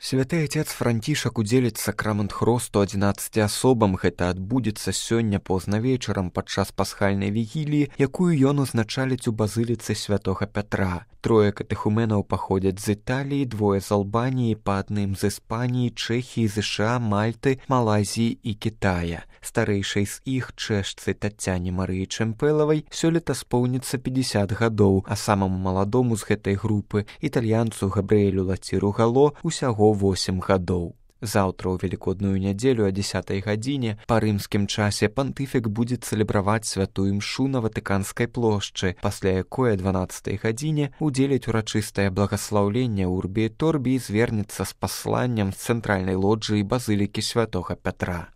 Святы Отец Францішак удзеліць сакрамент хросту 11 асобам. Гэта адбудзецца сёння позна вечарам падчас пасхальнай вігіліі, якую ён узначаліць у базыліцы святога Пятра. 3 катэхуменаў паходзяць з Італіі, 2 з Албаніі, па адным з Іспаніі, Чэхіі, ЗША, Мальты, Малайзіі і Кітая. Старэйшай з іх, чэшцы Тацяне Марыі Чэмпэлавай, сёлета споўніцца 50 гадоў, а самаму маладому з гэтай групы, італьянцу Габрыэлю Лаціру Гало, усяго 8 гадоў. Заўтра ў велікодную нядзелю о 10 гадзіне па рымскім часе пантыфік будзе цэлебраваць святую імшу на Ватыканскай плошчы, пасля якой о 12 гадзіне удзеліць урачыстае благаслаўленне Урбі і Торбі і звернецца з пасланнем з цэнтральнай лоджыі базылікі святога Пятра.